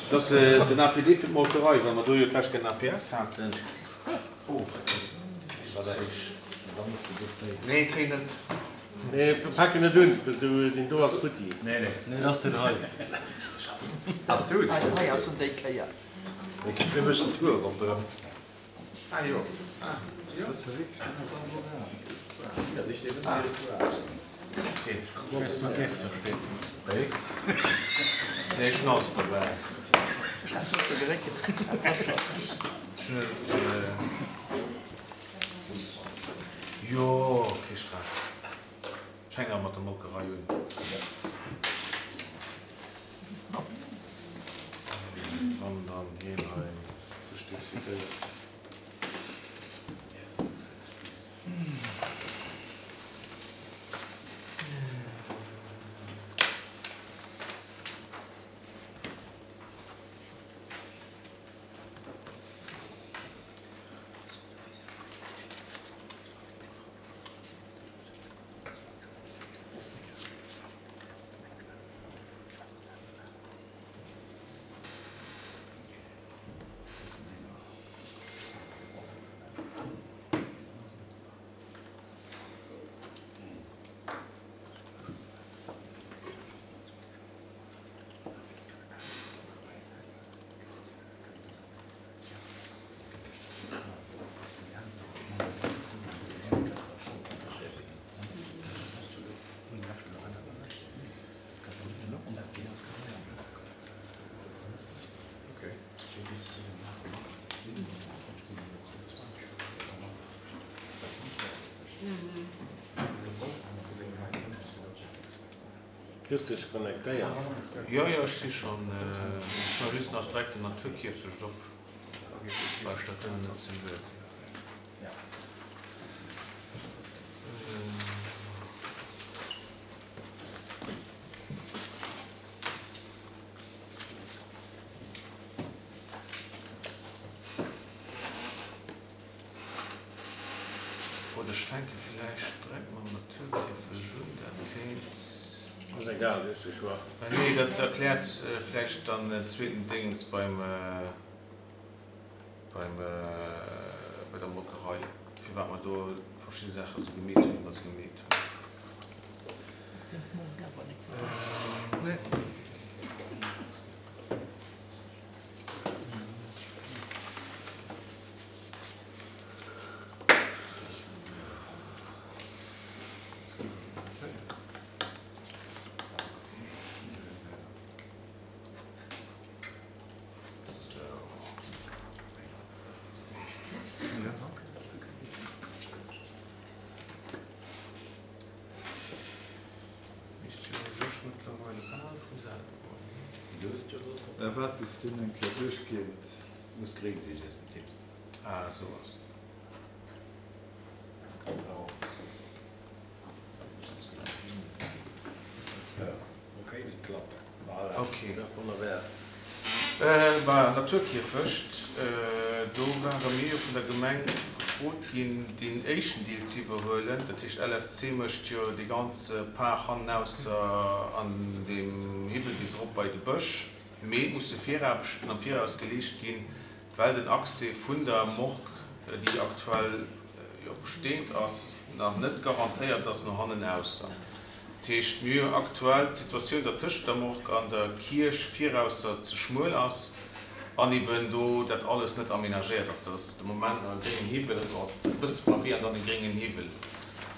Dass den APD fir d'Molkerei, well mer do jo d'lescht Kéier den APS haten. Nee, zéi net. Nee, pak en net un, well deen do ass futti. Nee, nee. Nee, dat ass deen hei. Ass du? Hei ass en déi Kéier. Mir méchen Tour ronderëm. Ah jo. Nee, ech hunn alles derbäi. Ech hunn et. Jo, kee Stress. Ech hänken awer mat der Molkerei un. Wann dann hien hei sech decidéiert. Kriss dech connectéiert? Jo jo, ech si schon. Ech hu just nach direkt den Naturkierfecht op, well ech dat duerno net sinn wëll. Oder ech fänke villäicht direkt mam Naturkierfecht un, dat kéint. Ass egal, hues de Choix. Nee, dat erkläert vläicht dann en zweeten Déngens beim, beim, bei der Molkerei, firwat mer do verschidde Saache sou gemeet hunn, wéi mer se gemeet hunn. Nee. Misst jo u sech mëttlerweile bal vu selwer goen, nee? Waart bis deen eng Kéier duerchgeet. Muss gréng sinn, iers de tipps. Ah, esou ass et. Bah, Naturkierfecht, do ware mir jo vun der Gemeng gefrot ginn, deen éischten Deel ze iwwerhuelen. Dat heescht, LSC mécht jo dee ganze Par hannenausser an deem Hiwwel bis erop bei de Bësch. Mee et musse Viraarbechten am Viraus geleescht ginn, well den Accès vun der Morgue, déi aktuell jo besteend ass, nach net garantéiert ass no hannenausser. Dat heescht, mir hu aktuell d'Situatioun, datt tëscht der Morgue an der Kierch virausser ze schmuel ass an eben do dat alles net aménagéiert ass. Dat ass de Moment nach e gréngen Hiwwel, e bësse Pavé an dann e gréngen Hiwwel.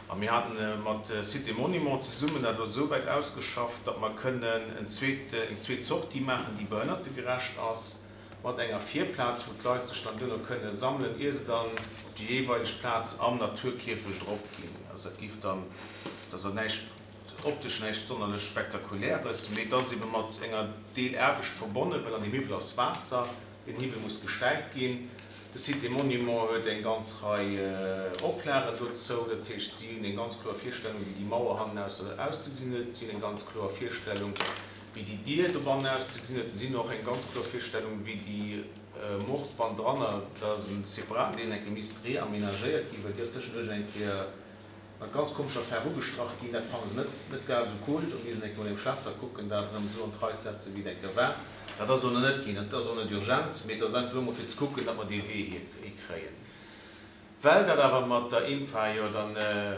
A mir haten mat Sites et Monuments zesummen dat elo esou wäit ausgeschafft, datt mer kënnen en zweet, eng zweet Sortie maachen, déi behënnertegerecht ass, mat enger Virplaz, wou d'Leit sech dann duerno kënne sammelen, ier se dann op déi jeeweileg Plaz am Naturkierfecht eropginn. Also dat géif dann, dat ass elo näischt optesch näischt sonnerlech Spektakuläres, mee et ass ebe mat enger Deelaarbecht verbonnen, well an deem Hiwwel ass Waasser. Den Hiwwel muss gestäipt ginn. De Site des Monuments huet eng ganz Rei Oplagen dozou. Dat heescht, si hunn eng ganz kloer Virstellung, wéi déi Mauer hannenaus auszegesinn huet. Si hunn eng ganz kloer Virstellung, wéi déi Dier dobannen auszegesinn huet. Si hunn och eng ganz kloer Virstellung, wéi déi. Mord bannendranner, dat ass e separaten Deel, eng Kéier misst reamenagéiert ginn, well déi ass tëschenduerch eng Kéier mat ganz komescher Faarf ugestrach ginn. Dat fanne se net net grad esou cool. Do misst een eng Kéier mat engem Schlässer kucken, dat erëm esou an d'Rei ze setzen, wéi et eng Kéier war. Dat ass elo nach net ginn. Dat ass och net urgent, mee et ass einfach elo emol fir ze kucken, datt mer dee Wee hikréien. Well dat awer mat der INPA jo dann,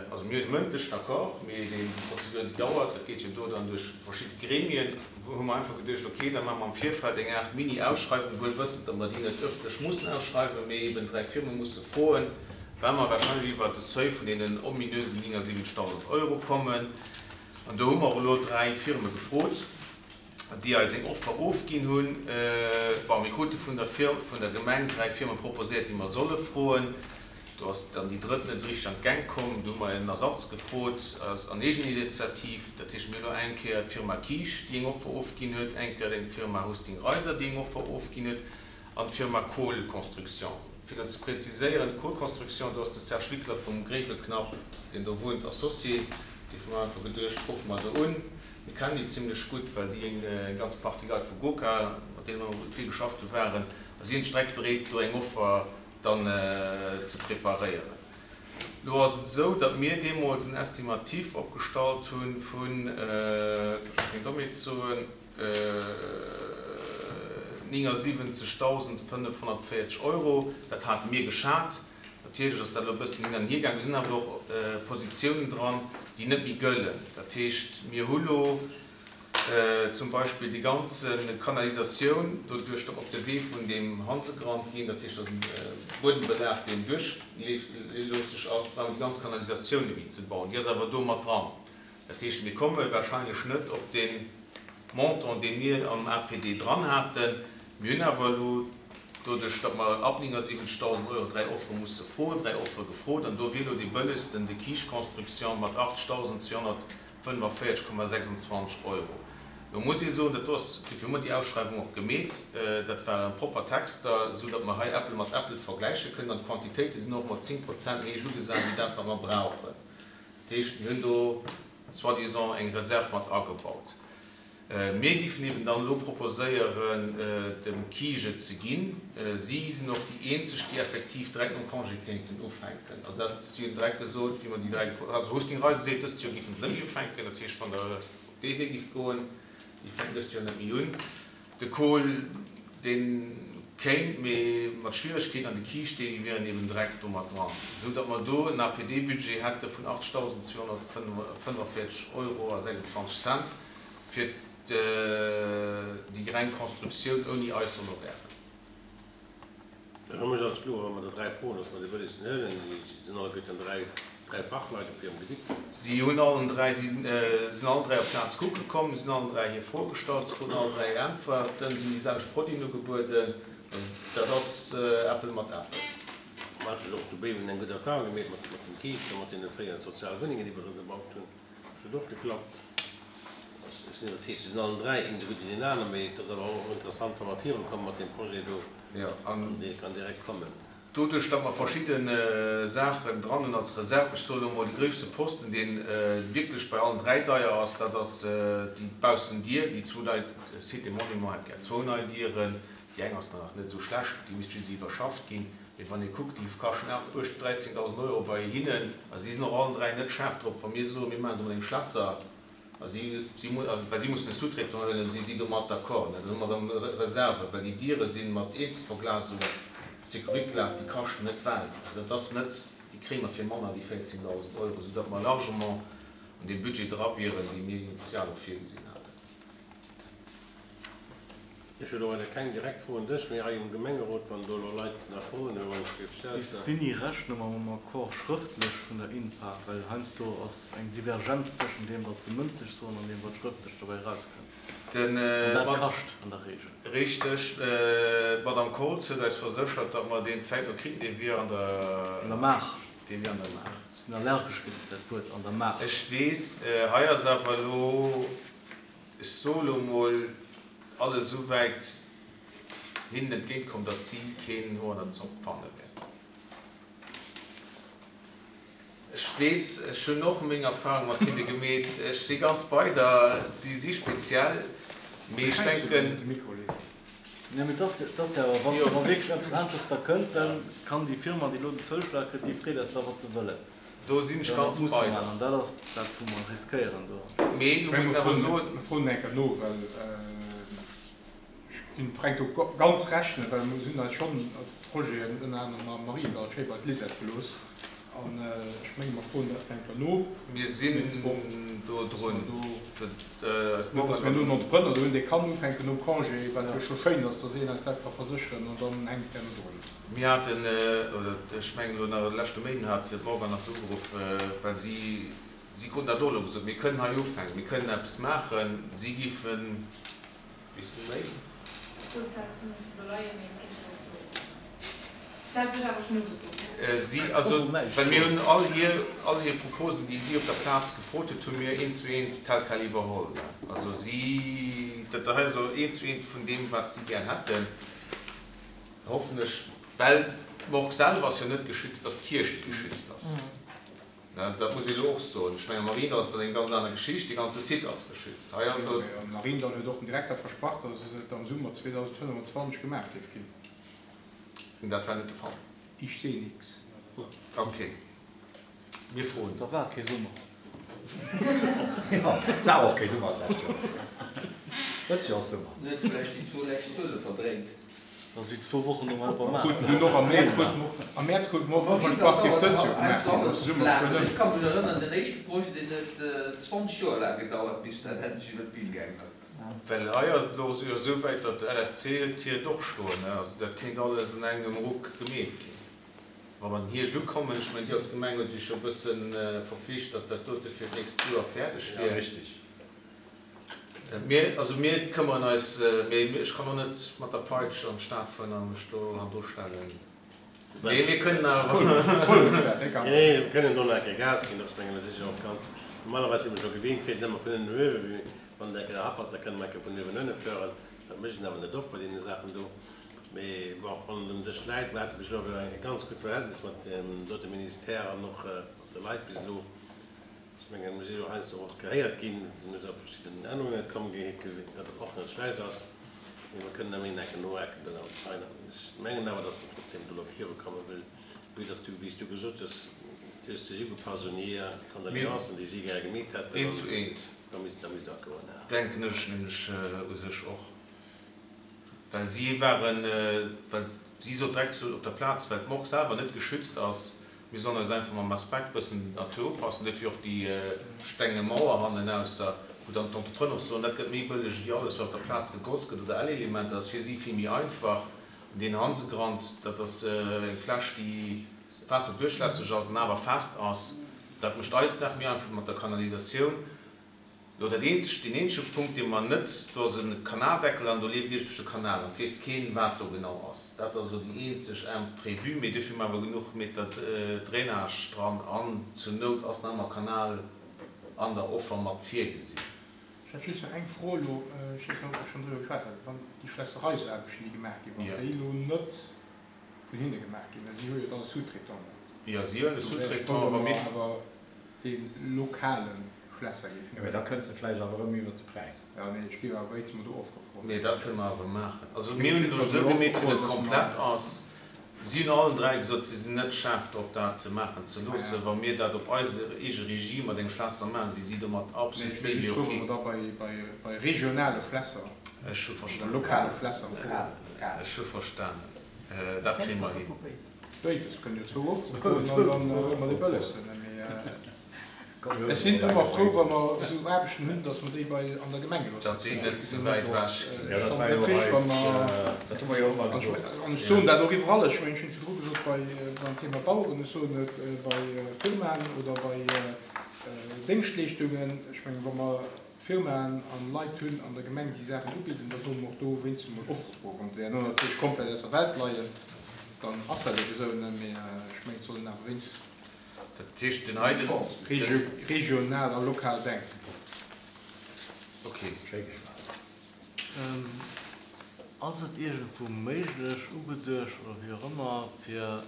also mir hunn e mëndlechen Accord, mee déi Prozedur déi dauert, dat geet jo do dann duerch verschidde Gremien, hu mer einfach geduecht, okay, da maache mer am Virfeld eng Aart Mini-Ausschreiwung, wuel wëssend, datt mer déi net ëffentlech mussen ausschreiwen, mee eben 3 Firme musse froen, well mer wahrscheinlech iwwert de Seuil vun deenen ominösen 79.000 Euro kommen. An do hu mer elo 3 Firme gefrot. déi eis eng Offer ofginn hunn. Bon, mir krute vun der Firm, vun der Gemeng 3 Firme proposéiert, déi mer solle froen. Do ass dann déi drëtt net esou richteg an d'Gäng komm. Do hu mer en Ersatz gefrot an Eegeninitiativ. Dat heescht, mir hunn elo eng Kéier d'Firma Kiisch, déi eng Offer ofginn huet, eng Kéier eng Firma Husting Reiser, déi eng Offer ofginn huet, an d'Firma Kohl Construction. Fir dat ze preziséieren, d'Kohl Construction, do ass de Serge Wickler vum Gréiweknapp, deen do wunnt, Associé. Dofir hu mer einfach geduecht, ruffe mer do un. Mir kennen déi zimlech gutt, well déi eng ganz Partie Leit vu GoKa, mat deene mer vill geschafft hu waren, a si hunn sech direkt bereet, elo eng Offer dann ze preparéieren. Elo ass et esou, datt mir deemools en Estimatif opgestallt hu vun, fir keng Dommheet ze soen, 79.540 Euro. Dat hate mir geschat. Natierlech ass dat elo e bëssen hin an hier gaangen. Do sinn awer elo och Positiounen dran, déi net méi gëllen. Dat heescht, mir hu lo zum Beispill déi ganz Kanalisatioun doduerch, datt mer op de Wee vun deem Hansegrand ginn, dat heescht, dat ass e Buedembelag, deen duerchloosseg ass, brauche mer déi ganz Kanalisatioun net méi ze bauen. Déi ass awer do mat dran. Dat heescht, mir komme wahrscheinlech net op dee Montant, dee mir am APD dran haten. Mir hunn awer elo, doduerch datt mer ab 79.000 Euro dräi Offere musse froen, dräi Offere gefrot. An do wier elo dee bëllegsten de Kiisch Construction mat 80.245,26 Euro. Elo muss ee soen, dat do ass, dofir hu mer déi Ausschreiwung och gemeet, dat ware propper Texter, esou datt mer hei Äppel mat Äppel vergläiche kënnen. An d'Quantitéite sinn och mat 10 Prozent méi héich ugesat wéi dat, wat mer brauchen. Dat heescht, mir hunn do soi-disant eng Reserv mat agebaut. Mir géifen eben dann elo proposéieren, dem Kige ze ginn. Si sinn och déi eenzeg, déi effektiv direkt nom Congé kéinten ufänken. Also dat, si hunn direkt gesot, wéi mer déi dräi gefrot, also Husting Reisen seet, dëst Joer géifen se net méi ufänken. Dat heescht, wann Der op dee Wee géift goen, déi fänken dëst Joer net méi un. De Kohl, dee kéint, mee mat Schwieregkeeten, an de Kiischt, déi wieren eben direkt do mat dran, esou datt mer do en APD-Budget hätte vun 8.245 Euro a 26 Cent fir déi reng Constructioun ouni eis Honorairen. Fir mech ass kloer, wa mer der 3 froen, dass mer déi bëllegsten huelen. Si sinn alleguerten 3, 3 Fachleit op hirem Gebitt. Si hunn allen 3, si sinn allen 3 op d'Plaz kucke komm, si hunn allen 3 hir Froe gestallt, si kruten allen 3 Äntwerten, si hunn déi selwecht Produiten ugebueden. Also dat ass Äppel mat Äppel. Mer hate jo och zu Béiwen eng gutt Erfahrung gemeet mat dem Kiischt a mat deene fréieren Sozialwunnengen, déi mer do gebaut hunn. Dat huet och geklappt. Ech sinn iwwerzeegt, se sinn allen 3, een esou gutt wéi deen aner, mee et ass awer och interessant, wa mer virukomme mat deem Projet do, an dee kann direkt kommen. Doduerch, datt mer verschidde Saachen dran hunn als Reserv, ech soe lo mol, de gréisste Posten, dee wierklech bei allen 3 deier ass, dat ass déi Baussendier, déi zwou nei, Cité Monument hätt gär zwou nei Dieren, déi eng ass dann nach net esou schlecht, déi misst just iwwerschafft ginn. Mee wann ee kuckt, déi kaschten 8, 13.000 Euro bei hinnen, a si sinn och allen 3 net schaarf drop, wa mir soen, mir maache se mat engem Schlässer, a si, si, well si mussen e Sous-traitant huelen, si si domat d'accord, dann hu mer erëm Reserven, well déi Diere si mat Eenzelverglasung, Sekuritglas, déi kaschten net d'Welt. Also dat ass net, déi kréie mer fir manner wéi 14.000 Euro, soudatt mer largement an deem Budget dra wieren, dee mir initial och virgesinn haten. Ech hunn och elo keng direkt Fro un dech, mee hei um Gemengerot, wann do elo Leit nach Froen hunn, wann ech géif stellen. Bis wéini rechne mer mam Accord schrëftlech vun der INPA? Well heiansdo ass eng Divergenz tëschent deem, wat se mëndlech soen, an deem, wat schrëftlech dobäi erauskënnt. An dat kascht an der Regel. Richteg. D'Madame Koltz huet eis verséchert, datt mer deen zäitno kritt. Dee wier an der. An der Maach. Dee wier an der Maach. Ech sinn allergesch géint dat Wuert an der Maach. Ech weess, hei ass awer elo, ech soe lo mol, alles esou wäit hinnen entgéint komm, datt si keen Hoer an der Zopp fanne wäerten. Ech weess, ech hunn och meng Erfahrung mat hinne gemeet, ech si ganz bei der, si si speziell, mee ech denken. Nee, mee 't ass jo awer, wa wierklech eppes aneschters da kënnt, da kann déi Firma, déi elo den Zouschlag kritt, déi freet eis da, wat se wëllen. Do sinn ech ganz bei der. An dat ass dat, wou mer riskéieren do. Mee elo muss een awer soen. Mir froen eng Kéier no, well ech ginn dem Fränk do ganz Recht, well mir hunn eis schonn Projeten, ënner anerem am Mariendall, schéi bei d'Lisette gelooss. An ech menge mer froen dat eng Kéier no. Mir sinn do drun. Net, datt mir elo en Entrepreneur do hunn, dee kann ufänken nom Congé, wat jo scho schéin ass, datt een eis dat ka versécheren, an dann hänkt herno drun. Mir haten, oder ech mengen elo nach de leschte Méinden hat d'Morgan nach do ugeruff, well si, si kruten dat och elo gesot, mir kënnen hei ufänken, mir kënnen eppes maachen, si géifen, weess du méi? Si, also, well mir hunn all hir, all hir Proposen, déi si op der Plaz gefrot huet, hu mir eent zu eent tel quel iwwerholl. Also si, dat hei ass elo eent zu eent vun deem, wat si gär hätten. Hoffen ech, well d'Morgue selwer ass jo net geschützt, ass d'Kierch, déi geschützt ass. Dat muss ee elo och soen. Ech mengen, am Mariendall ass dat eng ganz aner Geschicht, dee ganze Site ass geschützt. Hei ass elo. Am Mariendall huet och den Direkter versprach, datt et am Summer 2025 gemaach géif ginn. Dat war net de Fall. Ich seh nix. Ok. Mir froen. Da war kee Summer. Jo, et war och kee Summer d'lescht Joer. Dëst Joer ass Summer. En huet vläicht déi zwou lescht Zuele verdréint. Dat ass wéi zwou Wochen nom Alpamaat. Am Mäerz krute mer och versprach, géif dëst Joer gemaach ginn. Ass de Summer schonn ëm. Ech ka mech erënneren, den éischte Projet, deen huet 20 Joer laang gedauert, bis dat endlech iwwer d'Bün gaangen ass. Well hei ass et elo jo esou wäit, datt de LSC huet hiert och stoen. Also dat kéint alles an engem Ruck gemeet ginn. Wa mer den Hierscht ukommen, ech mengen, Dir als Gemeng hutt Iech jo e bësse verpflicht, datt dat dote fir d'nächst Joer fäerdeg wier. Richtig. Mir, also mir këmmeren eis, mee ech kann och net mat der Peitsch an d'Stad fueren a mech do hannendru stellen. Mee mir kënnen awer. Nee, nee, mir kënnen do nach eng Kéier Gas ginn. Ech menge mir si jo och ganz, normalerweis si mir scho gewinnt, fir et ëmmer vun ënnen no uewen, wann et eng Kéier happert, da kënne mer eng Kéier vun uewen ënne fueren. Dat mécht een awer net oft bei deene Saachen do. Mee bon, wann et um Dësch läit, mir hate bis elo awer e ganz gutt Verhältnis mat deem dote Ministère an och mat de Leit bis elo. Ech mengen, mir si jo heiansdo och gehéiert ginn, mir si op verschidden Ännerunge komm, dat och net schlecht ass. Mee mer kënnen ëmmer een Ecken nohaken do an feinen. Ech mengen awer, datt mer trotzdem do elo virukomme wëll, vue datt du, wéi s du gesot hues, du hues dech ugepasst un hir Condoléancen, déi si gäre gemeet hätten. Eent zu eent. Da misst, da misst dat goen, ja. Denken ech nämlech u sech och. Well si waren, well si sot direkt zu op der Plaz, well d'Morgue selwer net geschützt ass, mir sollen eis einfach mam Aspekt bëssen der Natur upassen, duerfir och déi stenge Mauer hannenausser, wou dann d'Entrepreneur och soen, dat gëtt méi bëlleg ewéi alles wat op der Plaz gegoss gëtt oder Ellelementer, dat ass fir si vill méi einfach. An deen Hansegrand, dat ass eng Fläch déi waasserduerchlässeg ass an awer fest ass, dat mécht eis d'Saach méi einfach mat der Kanalisatioun. Lo dat eenzegt, deen eenzege Punkt, dee mer net, do ass e Kanaldeckel an do leeft iergendwech e Kanal an et weess keen, wat do genau ass. Dat ass elo déi eenzeg Imprévue, mee duerfir hu mer awer genuch Meter Drainage dran an zur Nout ass nach ëmmer Kanal an der Offer mat virgesinn. Ech hätt just nach eng Fro elo, ech weess net, ob mer schonn driwwer geschwat haten, wann déi Schlässereisaarbechten, déi gemaach ginn, wann déi elo net vun hinne gemaach ginn, well si hu jo dann e Sous-traitant. Jo, si hunn e Sous-traitant, wa mir. Awer dee lokale Schlässer géifen Jo, mee da kënns de vläicht awer erëm iwwert de Präis. Jo, nee, ech géif awer wéinst mer do Offere froen. Nee, dat kënne mer awer maachen. Also mir hunn et elo esou gemeet, wéi et komplett ass. Si hunn allen 3 gesot, si sinn net schaarf drop, dat maachen ze loossen. Wa mir dat op eis eege Regie mat engem Schlässer maachen, si si domat Nee, absolut ech wéll méi wéi just froen, ok. ob mer da bei, bei, bei regionale Schlässer Ech hu oder verstanen. lokale Schlässer froen. Ech hu verstanen. Dat kréie mer hin. Béides kënnt jo zwou ofzefroen an dann hu mer dee bëllegsten. Mee ech sinn ëmmer frou, wa mer esou Aarbechten hunn, datt mer déi bei an der Gemeng gelooss Datt déi net ze wäit ewech ginn. Jo, dat war jo eis, dat hu mer jo ëmmer gesot. An ech soen dat och iwwerall, ech mengen, ech hunn et virdru gesot bei beim Thema Baueren, ech soen et bei Firmaen oder bei Déngschtleeschtungen, ech mengen, wa mer Firmaen an Leit hunn an der Gemeng, déi Saachen ubidden, da solle mer och do wéinstens emol Offere froen. Wa se herno natierlech komplett aus der Welt leien, dann ass dat ebe esou, ne? Mee ech mengen, et soll een awer wéinstens Dat heescht, den heiten. regional a lokal denken. Ok. Schéi geschwat. Ass et iergendwou méiglech, ugeduecht oder wéi och ëmmer, fir,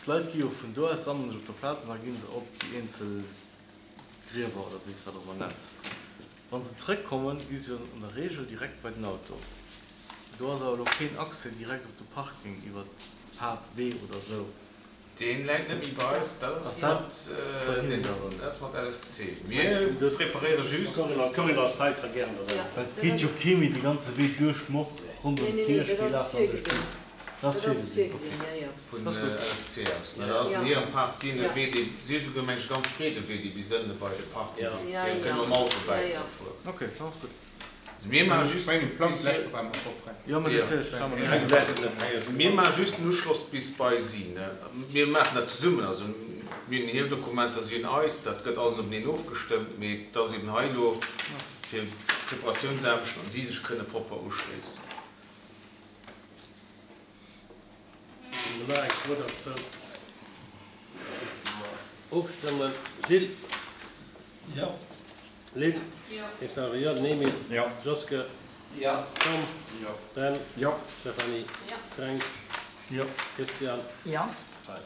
d'Leit gi jo vun do aus, sammele sech op der Plaz an da gi se op déi eenzel Griewer oder wéi s de dat och ëmmer nenns. Wa se zrëckkommen, gi se jo an der Regel direkt bei den Auto. Do ass awer elo keen Accès direkt op de Parking iwwer d'Haaptwee oder sou. Deen läit net méi bei eis, dat ass mat, dat ass mat LSC. Mir preparéiere just. D'Corinne ass hei, ka gären derbäi. Well et geet jo kee méi de ganze Wee duerch d'Mord ronderëm d'Kierch, déi lafen an duerch d'Mord. Dat ass virgesinn, ok. Vun LSC aus, ne? Dat ass an hirem Park, si hunn e Wee, dee, si hu souguer meng ech e ganz breede Wee, dee bis ënne bei de Parking geet, fir kënne mam Auto bäizefueren. Ok, dat ass gutt. Mir maache just mir maache just den Uschloss bis bei si. Mir maachen dat zesummen. Also mir hunn hir Dokumenter, si hunn eis. Dat gëtt alles openeen ofgestëmmt. Mee et ass eben hei elo fir d'Preparatiounsaarbechten an si sech kënne propper uschléissen. Hunn mer nach eng Fro derzou? Da géife mer ofstëmmen. Gilles? Jo. Lynn? Jo. Ech sage jo. Den Emile? Jo. Joske? Jo. Tom? Jo. Ben? Jo. Stéphanie? Jo. Fränk? Jo. Christian? Jo. Hei.